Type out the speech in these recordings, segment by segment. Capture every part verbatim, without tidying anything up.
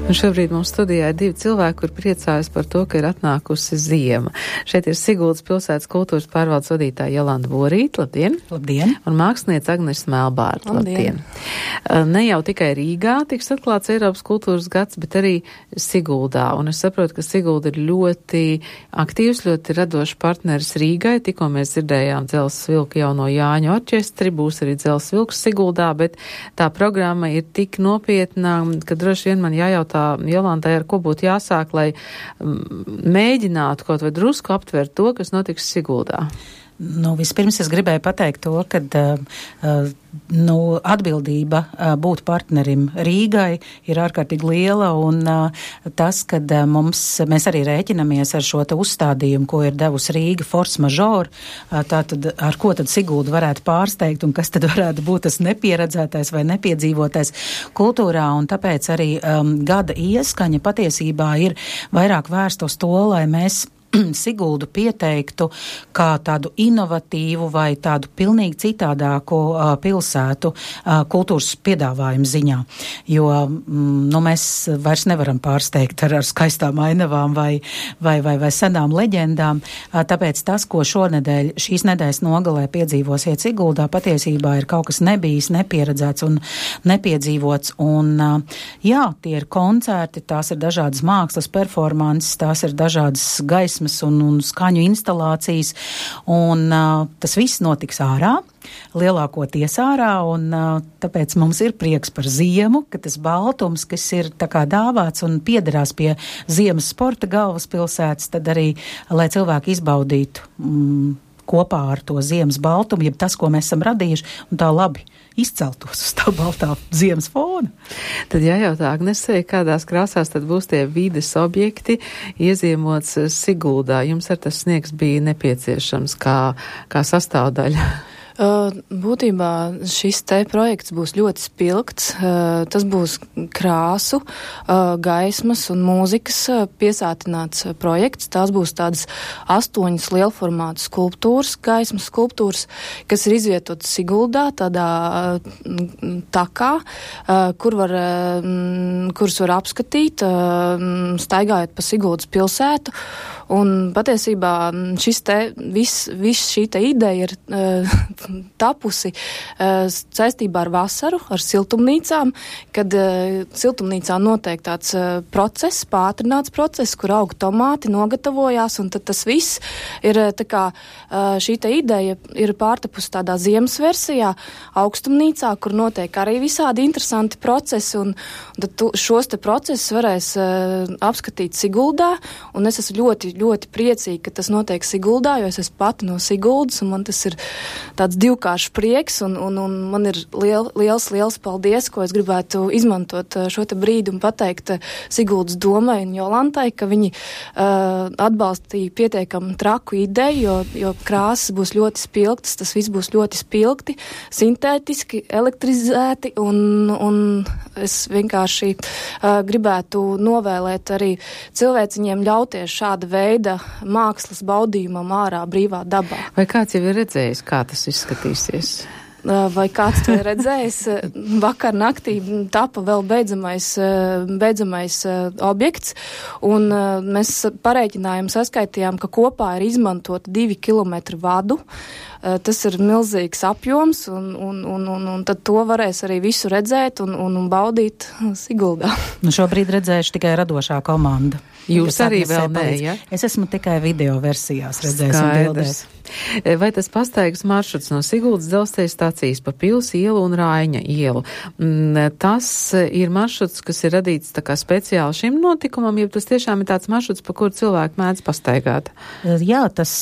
Un šobrīd mums studijā ir divi cilvēki, kur priecājas par to, ka ir atnākusi ziema. Šeit ir Siguldas pilsētas kultūras pārvaldes vadītāja Jolanta Borīte, labdien! Labdien! Un māksliniece Agnes Melbārta, labdien! labdien. Ne jau tikai Rīgā tiks atklāts Eiropas kultūras gads, bet arī Siguldā. Un es saprotu, ka Sigulda ir ļoti aktīvs, ļoti radošs partneris Rīgai. Tikko mēs dzirdējām Dzelzs vilku jauno Jāņu orķestri, būs arī Dzelzs vilks Siguldā, bet tā programma ir tik nopietna, ka droši vien man jājautā Jolantai, ar ko būtu jāsāk, lai mēģinātu kaut vai drusku aptvert to, kas notiks Siguldā. Nu, vispirms es gribēju pateikt to, ka uh, nu, atbildība uh, būt partnerim Rīgai ir ārkārtīgi liela, un uh, tas, kad uh, mums, mēs arī rēķinamies ar šo te uzstādījumu, ko ir devusi Rīga force majeure, uh, tātad ar ko tad Sigulda varētu pārsteigt, un kas tad varētu būt tas nepieredzētais vai nepiedzīvotais kultūrā, un tāpēc arī um, gada ieskaņa patiesībā ir vairāk vērsta uz to, lai mēs Siguldu pieteiktu kā tādu inovatīvu vai tādu pilnīgi citādāku uh, pilsētu uh, kultūras piedāvājumu ziņā. Jo mm, nu, mēs vairs nevaram pārsteigt ar, ar skaistām ainavām vai, vai, vai, vai senām leģendām. Uh, tāpēc tas, ko šonedēļ, šīs nedēļas nogalē piedzīvosiet Siguldā, patiesībā ir kaut kas nebijis, nepieredzēts un nepiedzīvots. Un, uh, jā, tie ir koncerti, tās ir dažādas mākslas performances, tās ir dažādas gaismas Un, un skaņu instalācijas, un uh, tas viss notiks ārā, lielākoties ārā, un uh, tāpēc mums ir prieks par ziemu, ka tas baltums, kas ir tā kā dāvāts un piederās pie ziemas sporta galvaspilsētas, tad arī, lai cilvēki izbaudītu mm, kopā ar to ziemas baltumu, jeb tas, ko mēs esam radījuši, un tā labi izceltos uz tā baltā ziemas fona. Tad jājautā Agnesei, kādās krāsās tad būs tie vides objekti ieziemots Siguldā. Jums ar tas sniegs bija nepieciešams kā, kā sastāvdaļa? Uh, būtībā šis te projekts būs ļoti spilgts. Uh, tas būs krāsu, uh, gaismas un mūzikas uh, piesātināts uh, projekts. Tās būs tādas astoņas lielformātu skulptūras, gaismas skulptūras, kas ir izvietotas Siguldā, tādā uh, takā, uh, kur var, uh, kuras var apskatīt, uh, staigājot pa Siguldas pilsētu. Un patiesībā šis te, viss vis šī te ideja ir uh, tapusi uh, saistībā ar vasaru, ar siltumnīcām, kad uh, siltumnīcā notiek tāds uh, process, pātrināts process, kur aug tomāti, nogatavojās, un tad tas viss ir tā kā uh, šī te ideja ir pārtapusi tādā ziemas versijā, augstumnīcā, kur notiek arī visādi interesanti procesi, un, un tad tu, šos te procesus varēs uh, apskatīt Siguldā, un es esmu ļoti ļoti priecīgi, ka tas notiek Siguldā, jo es esmu pati no Siguldas, un man tas ir tāds divkāršs prieks, un, un, un man ir liel, liels, liels paldies, ko es gribētu izmantot šo te brīdi un pateikt Siguldas domai un Jolantai, ka viņi uh, atbalstīja pietiekami traku ideju, jo, jo krāsas būs ļoti spilgtas, tas viss būs ļoti spilgti, sintētiski, elektrizēti, un, un es vienkārši uh, gribētu novēlēt arī cilvēciņiem ļauties šāda veida mākslas baudījumam ārā brīvā dabā. Vai kāds jau ir redzējis, kā tas izskatīsies? Vai kāds to ir redzējis? Vakar naktī tapa vēl beidzamais, beidzamais objekts, un mēs parēķinājām, saskaitījām, ka kopā ir izmantot divi kilometri vadu. Tas ir milzīgs apjoms, un, un, un, un, un tad to varēs arī visu redzēt un, un, un baudīt Siguldā. Nu, šobrīd redzējuši tikai radošā komanda. Jūs arī vēl nē, ja? Es esmu tikai video versijās redzējis un bildēs. Vai tas pastaigas maršruts no Siguldas dzelzceļa stācijas pa Pils ielu un Raiņa ielu? Tas ir maršruts, kas ir radīts tā kā speciāli šim notikumam, ja tas tiešām ir tāds maršruts, pa kuru cilvēki mēdz pastaigāt? Jā, tas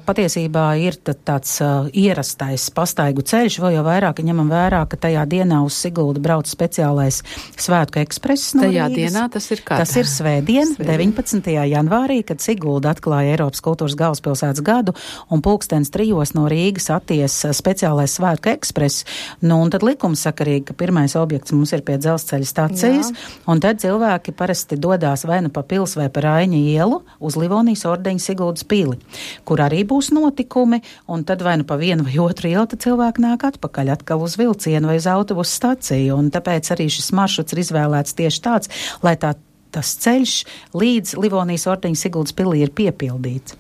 patiesībā ir tāds ierastais pastaigu ceļš, vēl jau vairāk ņemam vērā, ka tajā dienā uz Siguldu brauc speciālais Svētku ekspress no tajā Rīgas. Dienā tas ir kā? Tas ir svētdien, deviņpadsmitajā janvārī, kad Sigulda atklāja Eiropas kultūras galvaspilsētas gadu, un pulkstens trijos no Rīgas atties speciālais Svētku ekspress. Nu, un tad likumsakarīgi, ka pirmais objekts mums ir pie dzelzceļa stacijas, jā. Un tad cilvēki parasti dodās vai nu pa Pils vai pa Raiņa ielu uz Livonijas ordeņa Siguldas pili, kur arī būs notikumi, un tad vai nu pa vienu vai otru ielu, tad cilvēki nāk atpakaļ atkal uz vilcienu vai uz autobusu staciju, un tāpēc arī šis maršruts ir izvēlēts tieši tāds, lai tā tas ceļš līdz Livonijas ordeņa Siguldas pilī ir piepildīts.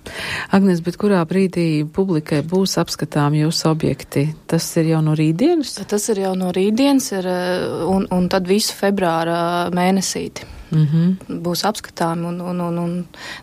Agnes, bet kurā brīdī publikai būs apskatām jūsu objekti? Tas ir jau no rītdienas? Tas ir jau no rītdienas ir, un, un tad visu februāra mēnesīti. Mm-hmm. Būs apskatāmi un, un, un, un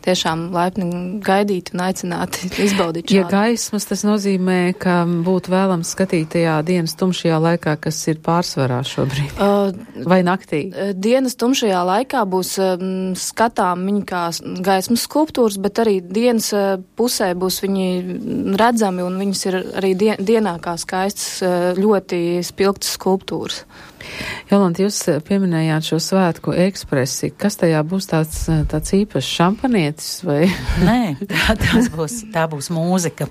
tiešām laipni gaidīti un aicināti izbaudīt šādu. Ja gaismas, tas nozīmē, ka būtu vēlams skatīt tajā dienas tumšajā laikā, kas ir pārsvarā šobrīd, uh, vai naktī? Dienas tumšajā laikā būs um, skatām viņi kā gaismas skulptūras, bet arī dienas uh, pusē būs viņi redzami un viņas ir arī dien, dienā kā skaistas, uh, ļoti spilgtas skulptūras. Jolanta, jūs pieminējāt šo svētku ekspresi. Kas tajā būs tāds, tāds īpašs šampanietis vai? Nē, tā, tās būs, tā būs mūzika.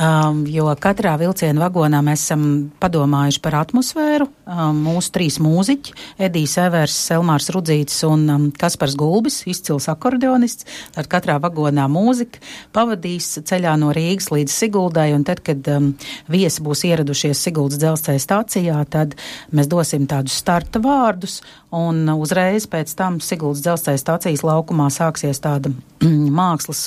Um, jo katrā vilciena vagonā mēs esam padomājuši par atmosfēru. Um, mūsu trīs mūziķi, Edijs Evers, Elmārs Rudzītis un um, Kaspars Gulbis, izcils akordeonists. Tad katrā vagonā mūzika pavadīs ceļā no Rīgas līdz Siguldai, un tad, kad um, viesi būs ieradušies Siguldas dzelzceļa stācijā, tad mēs dosim tādus starta vārdus, un uzreiz pēc tam Siguldas dzelzceļa stācijas laukumā sāksies tāda mākslas,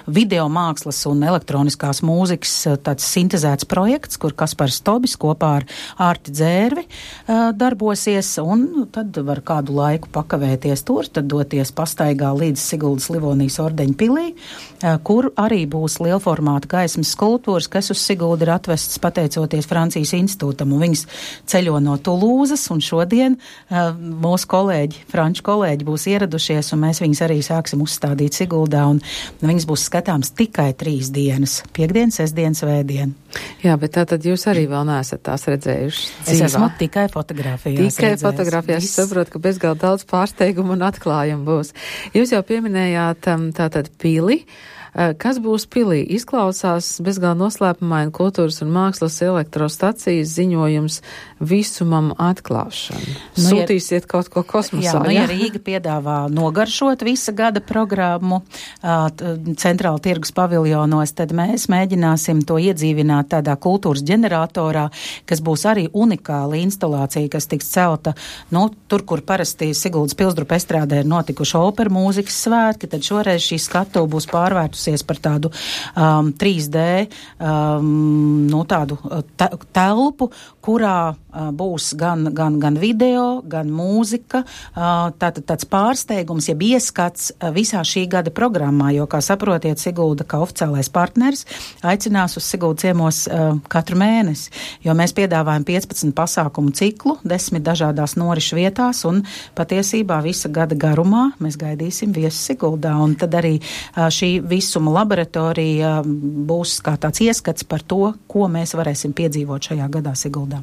video mākslas un elektroniskās mūzikas tāds sintezēts projekts, kur Kaspars Tobis kopā ar Ārti Dzērvi uh, darbosies, un tad var kādu laiku pakavēties tur, tad doties pastaigā līdz Siguldas Livonijas ordeņa pilī, uh, kur arī būs lielformāta gaismas skulptūras, kas uz Siguldu ir atvestas pateicoties Francijas institūtam, un viņas ceļo no Tulūzas, un šodien uh, mūsu kolēģi, franču kolēģi būs ieradušies, un mēs viņus arī sāksim uzstādīt Siguldā, un viņas būs skatāms tikai trīs dienas - piekdien, sestdien, svētdien. Jā, bet tātad jūs arī vēl neesat tās redzējuši dzīvā? Es esmu tikai fotografijās. Tikai fotografijās. Es saprotu, ka bezgalīgi daudz pārsteigumu un atklājumu būs. Jūs jau pieminējāt um, tātad pili. Kas būs pilī? Izklausās bezgalīgi noslēpumaini kultūras un mākslas elektrostacijas ziņojums visumam atklāšanu. Nu, Sūtīsiet ja, kaut ko kosmosā. Jā, nu, ja Rīga piedāvā nogaršot visa gada programmu centrāla tirgus paviljonos, tad mēs mēģināsim to iedzīvināt tādā kultūras ģeneratorā, kas būs arī unikāla instalācija, kas tiks celta, nu, tur, kur parasti Siguldas Pilsdrupa estrādē ir notikuši opera mūzikas svētki, tad šoreiz šī skatuve būs pārvērtusies par tādu um, trīs D um, nu, tādu te, telpu, kurā uh, būs gan, gan, gan video, gan mūzika, uh, tātad tāds pārsteigums, jeb ieskats uh, visā šī gada programmā, jo, kā saprotiet, Sigulda, kā oficiālais partneris, aicinās uz Sigulda ciemos uh, katru mēnesi, jo mēs piedāvājam piecpadsmit pasākumu ciklu, desmit dažādās norišu vietās, un patiesībā visa gada garumā mēs gaidīsim viesu Siguldā, un tad arī uh, šī visuma laboratorija būs kā tāds ieskats par to, ko mēs varēsim piedzīvot šajā gadā Siguldā.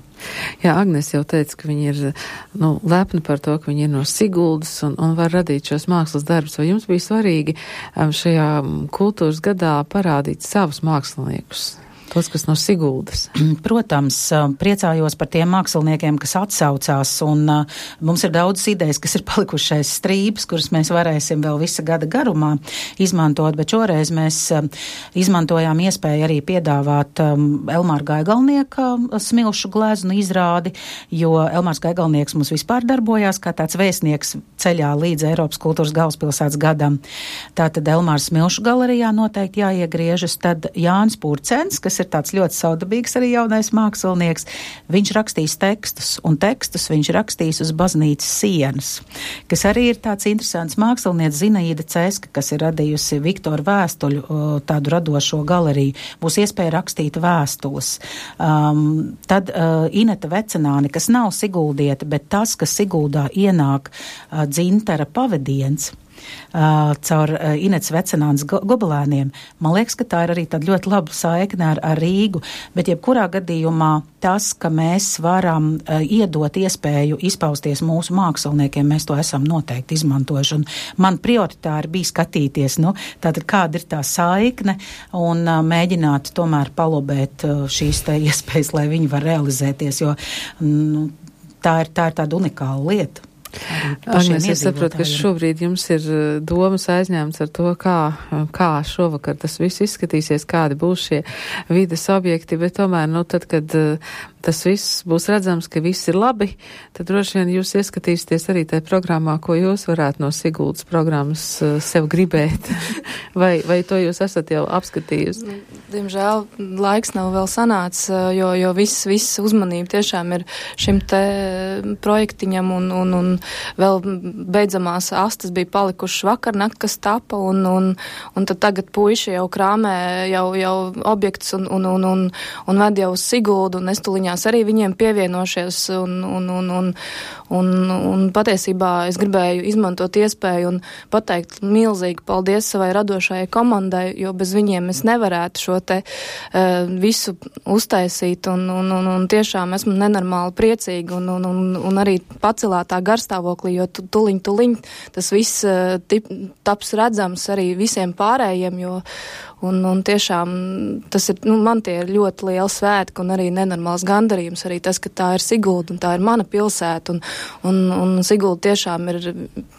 Jā, Agnes jau teica, ka viņi ir nu, lepni par to, ka viņi ir no Siguldas un, un var radīt šos mākslas darbus. Vai jums bija svarīgi um, šajā kultūras gadā parādīt savus māksliniekus? Tos, kas no Siguldas. Protams, priecājos par tiem māksliniekiem, kas atsaucās, un uh, mums ir daudz idejas, kas ir palikušais strības, kuras mēs varēsim vēl visa gada garumā izmantot, bet šoreiz mēs uh, izmantojām iespēju arī piedāvāt um, Elmāra Gaigalnieka smilšu gleznu izrādi, jo Elmārs Gaigalnieks mums vispār darbojās kā tāds vēstnieks ceļā līdz Eiropas kultūras galvaspilsētas gadam. Tātad Elmārs smilšu galerijā noteikti jāiegriežas, tad Jānis Purcens, kas ir tāds ļoti saudabīgs arī jaunais mākslinieks, viņš rakstīs tekstus, un tekstus viņš rakstīs uz baznīcas sienas, kas arī ir tāds interesants mākslinieks Zinaīda Ceska, kas ir radījusi Viktoru Vēstuļu tādu radošo galeriju. Būs iespēja rakstīt vēstules. Um, tad uh, Ineta Vecenāni, kas nav siguldieta, bet tas, ka Siguldā ienāk uh, dzintara pavadiens, Uh, caur uh, Inets Vecenānas go- gobelēniem. Man liekas, ka tā ir arī tāda ļoti laba saikne ar, ar Rīgu, bet jebkurā gadījumā tas, ka mēs varam uh, iedot iespēju izpausties mūsu māksliniekiem, mēs to esam noteikti izmantojuši. Un man prioritāri bija skatīties, nu, tātad kāda ir tā saikne un uh, mēģināt tomēr palobēt uh, šīs te iespējas, lai viņi var realizēties, jo nu, tā ir, tā ir tāda unikāla lieta. Agnes, es saprotu, ka šobrīd jums ir domas aizņēmts ar to, kā, kā šovakar tas viss izskatīsies, kādi būs šie vides objekti, bet tomēr, nu, tad, kad tas viss būs redzams, ka viss ir labi, tad droši vien jūs ieskatīsieties arī tajā programmā, ko jūs varētu no Siguldas programmas sev gribēt. vai, vai to jūs esat jau apskatījusi? Diemžēl laiks nav vēl sanācis, jo, jo viss, viss uzmanība tiešām ir šim te projektiņam un, un, un vēl beidzamās astas bija palikušas vakarnakt, kas tapa, un, un, un tad tagad puiši jau krāmē jau, jau objekts un, un, un, un, un ved jau uz Siguldu, un es tuliņās arī viņiem pievienošies, un, un, un, un, un, un patiesībā es gribēju izmantot iespēju un pateikt milzīgi paldies savai radošajai komandai, jo bez viņiem es nevarētu šo te uh, visu uztaisīt, un, un, un, un tiešām esmu nenormāli priecīga, un, un, un, un arī pacelātā garstāvoklī, jo tu, tuliņ, tuliņ tas viss uh, tip, taps redzams arī visiem pārējiem, jo Un, un tiešām tas ir, nu, man tie ir ļoti liela svētki un arī nenormāls gandarījums, arī tas, ka tā ir Sigulda un tā ir mana pilsēta, un, un, un Sigulda tiešām ir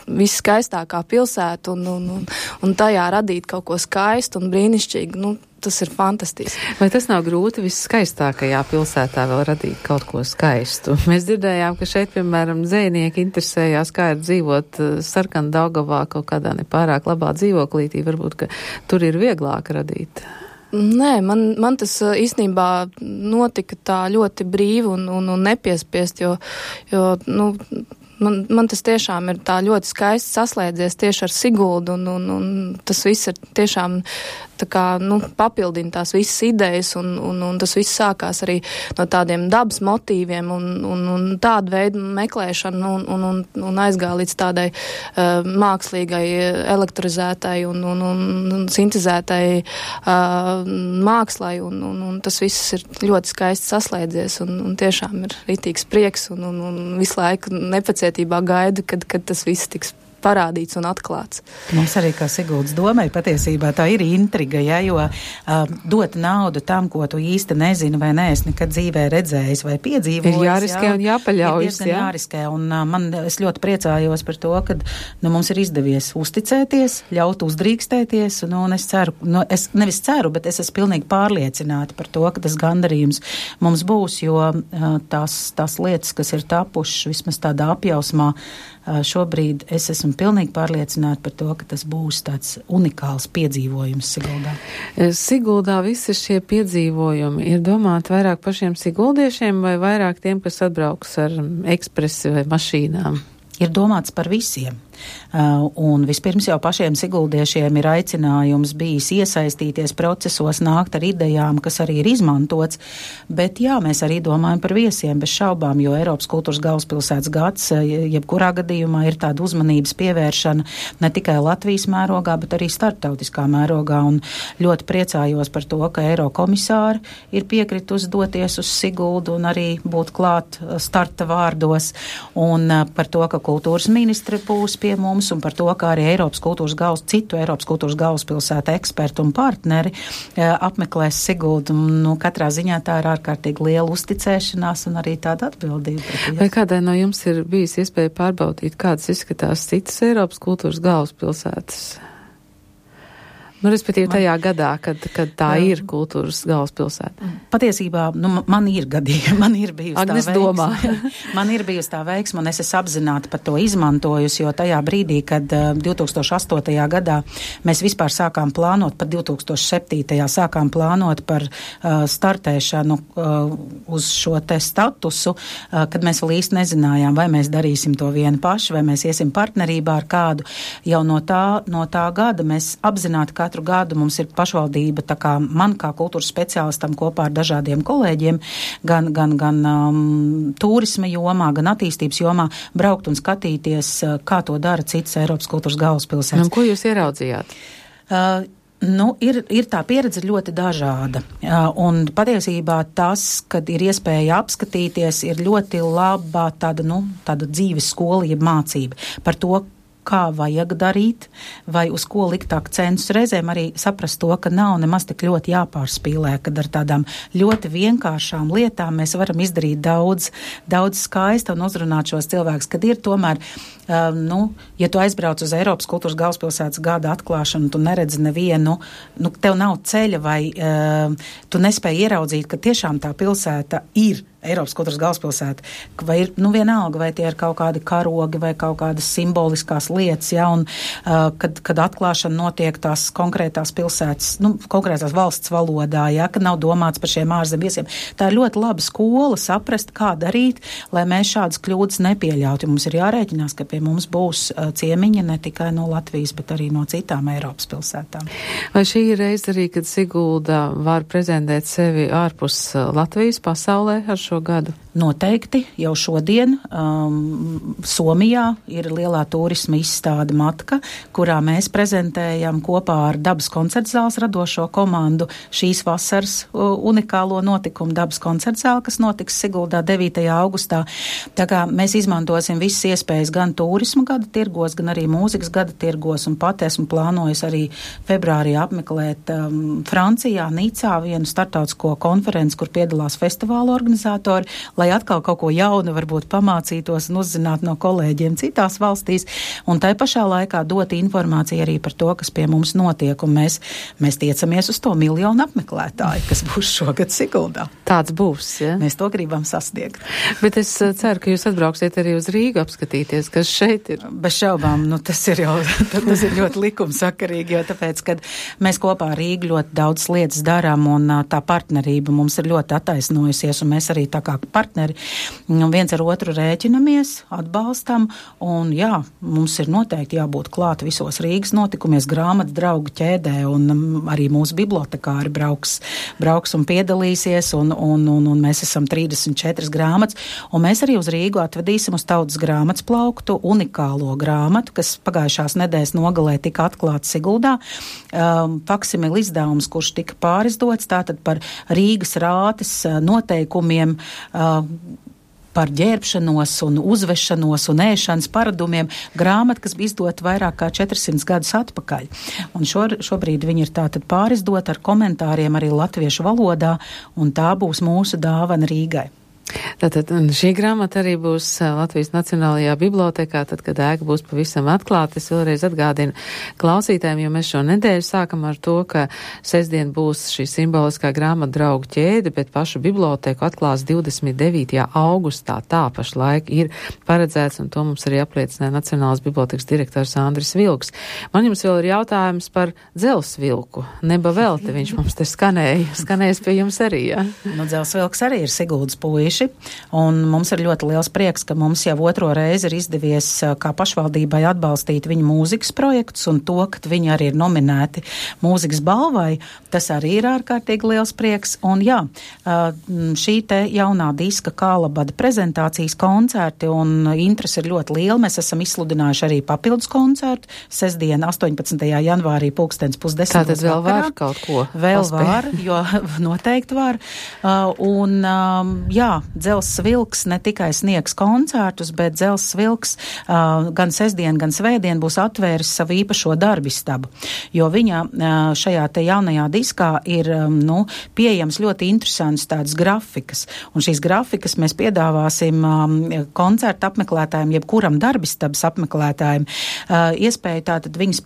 visskaistākā pilsēta, un, un, un, un tajā radīt kaut ko skaistu un brīnišķīgu, nu, tas ir fantastiski. Vai tas nav grūti visskaistākajā pilsētā vēl radīt kaut ko skaistu? Mēs dzirdējām, ka šeit, piemēram, dzejnieki interesējās, kā ir dzīvot Sarkan Daugavā kaut kādā nepārāk labā dzīvoklītī, varbūt, ka tur ir vieglāk radīt. Nē, man, man tas īstenībā notika tā ļoti brīvi un, un, un nepiespiest, jo, jo nu, man, man tas tiešām ir tā ļoti skaisti saslēdzies tieši ar Siguldu, un, un, un tas viss ir tiešām tā kā, nu, papildina tās visas idejas, un, un, un tas viss sākās arī no tādiem dabas motīviem un, un, un tādu veidu meklēšanu un, un, un, un aizgāja līdz tādai uh, mākslīgai, elektrizētai un, un, un, un sintezētai uh, mākslai, un, un, un tas viss ir ļoti skaisti saslēdzies, un, un tiešām ir ritīgs prieks, un, un, un visu laiku nepacietībā gaidu, kad, kad tas viss tiks parādīts un atklāts. Mums arī kā Siguldas domai patiesībā tā ir intriga, ja, jo uh, dot naudu tam, ko tu īsti nezini vai neesi nekad dzīvē redzējis vai piedzīvojis. Ir jāriskē jā, un jāpaļaujas. Ir jā. jāriskē, un uh, man, es ļoti priecājos par to, ka nu, mums ir izdevies uzticēties, ļaut uzdrīkstēties, un, un es ceru, nu, es nevis ceru, bet es esmu pilnīgi pārliecināta par to, ka tas gandarījums mums būs, jo uh, tās, tās lietas, kas ir tapušas vismaz tādā apjausmā, uh, šobrīd es esmu pilnīgi pārliecināti par to, ka tas būs tāds unikāls piedzīvojums Siguldā. Siguldā visi šie piedzīvojumi ir domāti vairāk pašiem siguldiešiem vai vairāk tiem, kas atbrauks ar ekspresi vai mašīnām? Ir domāts par visiem. Uh, un vispirms jau pašiem siguldiešiem ir aicinājums bijis iesaistīties procesos, nākt ar idejām, kas arī ir izmantots, bet jā, mēs arī domājam par viesiem bez šaubām, jo Eiropas kultūras galvaspilsētas gads, jebkurā gadījumā ir tāda uzmanības pievēršana ne tikai Latvijas mērogā, bet arī starptautiskā mērogā, un ļoti priecājos par to, ka Eirokomisāri ir piekritus doties uz Siguldu un arī būt klāt starta vārdos, un uh, par to, ka kultūras ministri būs pie mums, un par to, kā arī Eiropas kultūras galvas, citu Eiropas kultūras galvaspilsētu ekspertu un partneri e, apmeklēs Siguldu. Nu, katrā ziņā tā ir ārkārtīgi liela uzticēšanās un arī tāda atbildība. Vai kādai no jums ir bijis iespēja pārbaudīt, kādas izskatās citas Eiropas kultūras galvaspilsētas? Nu, respektīvi tajā man, gadā, kad, kad tā jā. ir kultūras galvaspilsēta. Patiesībā, nu, man ir gadījumi, man ir bijusi Agnes tā domā. veiksme. Man ir bijusi tā veiksme, un es esmu apzināti par to izmantojusi, jo tajā brīdī, kad uh, divi tūkstoši astotajā gadā mēs vispār sākām plānot, pat divi tūkstoši septītajā sākām plānot par uh, startēšanu uh, uz šo te statusu, uh, kad mēs vēl īsti nezinājām, vai mēs darīsim to vieni paši, vai mēs iesim partnerībā ar kādu. Jau no tā, no tā gada mēs apzināti katru gadu mums ir pašvaldība, tā kā man kā kultūras speciālistam kopā ar dažādiem kolēģiem, gan, gan, gan um, turisma jomā, gan attīstības jomā, braukt un skatīties, uh, kā to dara citas Eiropas kultūras galvaspilsētas. Un ko jūs ieraudzījāt? Uh, Nu, ir, ir tā pieredze ļoti dažāda, uh, un patiesībā tas, kad ir iespēja apskatīties, ir ļoti laba tāda, nu, tāda dzīves skola, jeb mācība par to, kā vajag darīt, vai uz ko likt akcentus. Reizēm arī saprast to, ka nav nemaz tik ļoti jāpārspīlē, kad ar tādām ļoti vienkāršām lietām mēs varam izdarīt daudz, daudz skaista un uzrunāt šos cilvēkus, kad ir tomēr, um, nu, ja tu aizbrauc uz Eiropas kultūras galvaspilsētas gada atklāšanu, tu neredzi nevienu, nu, tev nav ceļa vai uh, tu nespēji ieraudzīt, ka tiešām tā pilsēta ir Eiropas kultūras galvaspilsēta, vai ir, nu vienalga, vai tie ir kaut kādi karogi vai kaut kādas simboliskās lietas, ja, un uh, kad, kad atklāšana notiek tās konkrētās pilsētas, nu, konkrētās valsts valodā, ja, kad nav domāts par šiem ārzem viesiem. Tā ir ļoti laba skola saprast, kā darīt, lai mēs šādas kļūdas nepieļautu. Mums ir jārēķinās, ka pie mums būs uh, ciemiņi ne tikai no Latvijas, bet arī no citām Eiropas pilsētām. Vai šī ir reize arī, kad Sigulda var prezentēt sevi ārpus Latvijas pasaulē ar šo gadu? Noteikti, jau šodien um, Somijā ir lielā turisma izstāde Matka, kurā mēs prezentējam kopā ar Dabas koncertzāles radošo komandu šīs vasaras uh, unikālo notikumu Dabas koncertzāle, kas notiks Siguldā devītajā augustā. Tā kā mēs izmantosim visas iespējas gan turisma gada tirgos, gan arī mūzikas gada tirgos, un pat esmu plānojis arī februārī apmeklēt um, Francijā, Nicā vienu startautisko konferenci, kur piedalās festivāla organizatori, lai atkal kaut ko jaunu varbūt pamācītos un uzzinātu no kolēģiem citās valstīs, un tai pašā laikā dot informāciju arī par to, kas pie mums notiek, un mēs, mēs tiecamies uz to miljonu apmeklētāju, kas būs šogad Siguldā. Tāds būs, ja? Mēs to gribam sasniegt. Bet es ceru, ka jūs atbrauksiet arī uz Rīgu apskatīties, kas šeit ir. Bez šaubām, nu tas ir jau, tas ir ļoti likumsakarīgi, jo tāpēc, kad mēs kopā ar Rīgu ļoti daudz lietas darām, un tā partnerība mums ir ļoti attaisnojusies, un mēs arī tā kā partneri viens ar otru rēķinamies, atbalstam, un jā, mums ir noteikti jābūt klāt visos Rīgas notikumies, grāmatu draugu ķēdē, un arī mūsu bibliotekāri brauks, brauks un piedalīsies, un, un, un, un mēs esam trīsdesmit četras grāmatas, un mēs arī uz Rīgu atvedīsim uz Tautas grāmatas plauktu unikālo grāmatu, kas pagājušās nedēļas nogalē tika atklāta Siguldā. Um, faksimili izdevums, kurš tika pārizdots, tātad par Rīgas rātes noteikumiem, uh, par ģērbšanos un uzvešanos un ēšanas paradumiem, grāmata, kas bija izdota vairāk kā četrsimt gadus atpakaļ. Un šo, šobrīd viņi ir tātad pārizdota ar komentāriem arī latviešu valodā, un tā būs mūsu dāvana Rīgai. Tātad šī grāmata arī būs Latvijas Nacionālajā bibliotekā, tad, kad ēka būs pavisam atklāta. Es vēlreiz atgādinu klausītājiem, jo mēs šo nedēļu sākam ar to, ka sestdien būs šī simboliskā grāmatu draugu ķēde, bet pašu biblioteku atklās divdesmit devītajā augustā. Tā pašlaik ir paredzēts, un to mums arī apliecināja Nacionālās bibliotekas direktors Andris Vilks. Man jums vēl ir jautājums par Dzelsvilku. Neba velti, viņš mums te skanēja. Skanējas pie jums arī, jā? Ja? Nu, Dzelsvilks arī ir Siguldas puiši. Un mums ir ļoti liels prieks, ka mums jau otro reizi ir izdevies kā pašvaldībai atbalstīt viņu mūzikas projektus, un to, ka viņi arī ir nominēti mūzikas balvai, tas arī ir ārkārtīgi liels prieks. Un jā, šī te jaunā diska Kālabada prezentācijas koncerti, un interesi ir ļoti liela. Mēs esam izsludinājuši arī papildus koncertu sestdien astoņpadsmitajā janvārī pulkstens pusdesmitos. Tātad vēl var kaut ko? Vēl paspēj. Var, jo noteikti var. Un jā, Dzelzs Vilks ne tikai sniegs koncertus, bet Dzelzs Vilks uh, gan sestdien, gan svētdien būs atvēris savu īpašo darbistabu, jo viņa uh, šajā te jaunajā diskā ir um, nu, pieejams ļoti interesants tādas grafikas, un šīs grafikas mēs piedāvāsim um, koncertu apmeklētājiem, jebkuram darbistabas apmeklētājiem, uh, iespēju tātad viņas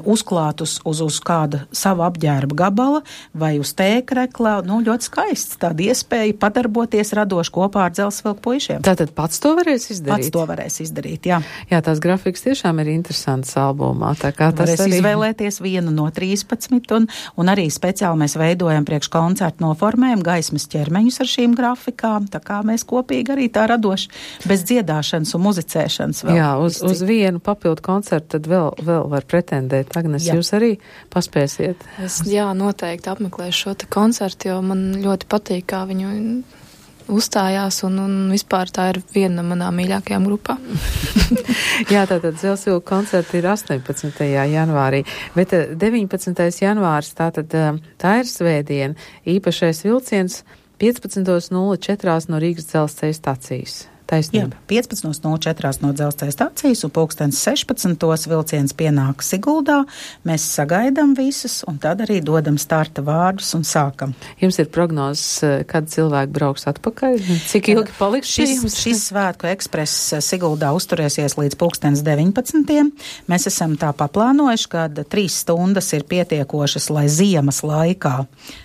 uzklāt uz, uz, uz kāda sava apģērba gabala vai uz tēkrekla, nu, ļoti skaists tāda iespēja padarboties radoši kopā ar Dzelsvilku puišiem. Tātad pats to varēs izdarīt? Pats to varēs izdarīt, jā. Jā, tās grafikas tiešām ir interesantas albumā, tā kā tas varēs arī... izvēlēties vienu no trīspadsmit, un, un arī speciāli mēs veidojam priekš koncertu noformējumu gaismas ķermeņus ar šīm grafikām, tā kā mēs kopīgi arī tā radoši bez dziedāšanas un muzicēšanas vēl. Jā, uz, uz vienu papildu koncertu tad vēl, vēl var pretendēt. Agnes, jā. Jūs arī paspēsiet? Es, jā, noteikti apmeklēšu šo te koncertu, jo man ļoti patīk, kā viņu uzstājās, un, un vispār tā ir viena no manām mīļākajām grupām. Jā, tātad Dzelsvilku koncerti ir astoņpadsmitajā janvārī, bet deviņpadsmitais janvārs, tātad tā ir svētdiena, īpašais vilciens piecpadsmit nulle četri no Rīgas dzelzceļa stacijas. Taisnība. Jā, piecpadsmit nulle četri no dzelzceļa stacijas, un pulkstens sešpadsmitos vilciens pienāk Siguldā. Mēs sagaidām visus, un tad arī dodam starta vārdus un sākam. Jums ir prognozes, kad cilvēki brauks atpakaļ? Cik ilgi paliks šis, šis svētku ekspress Siguldā uzturēsies līdz pulkstens deviņpadsmitiem. Mēs esam tā paplānojuši, ka trīs stundas ir pietiekošas, lai ziemas laikā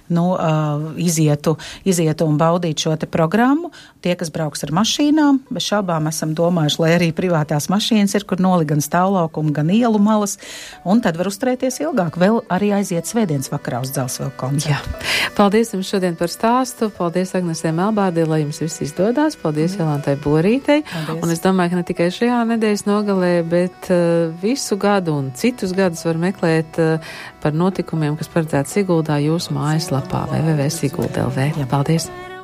nu, uh, izietu, izietu un baudītu šo te programmu. Tie, kas brauks ar mašīnām, bez šaubām esam domājuši, lai arī privātās mašīnas ir, kur noli gan stāvlaukumu, gan ielu malas, un tad var uzturēties ilgāk. Vēl arī aiziet svētdienas vakarā uz Dzelzceļa koncertu. Jā. Paldies jums šodien par stāstu. Paldies Agnesē Melbārdē, lai jums viss izdodās. Paldies mm. Jolantai Borītei. Paldies. Un es domāju, ka ne tikai šajā nedēļas nogalē, bet uh, visu gadu un citus gadus var meklēt uh, par notikumiem, kas paredzēti Siguldā jūsu mājaslapā w w w punkt sigulda punkt l v. Paldies!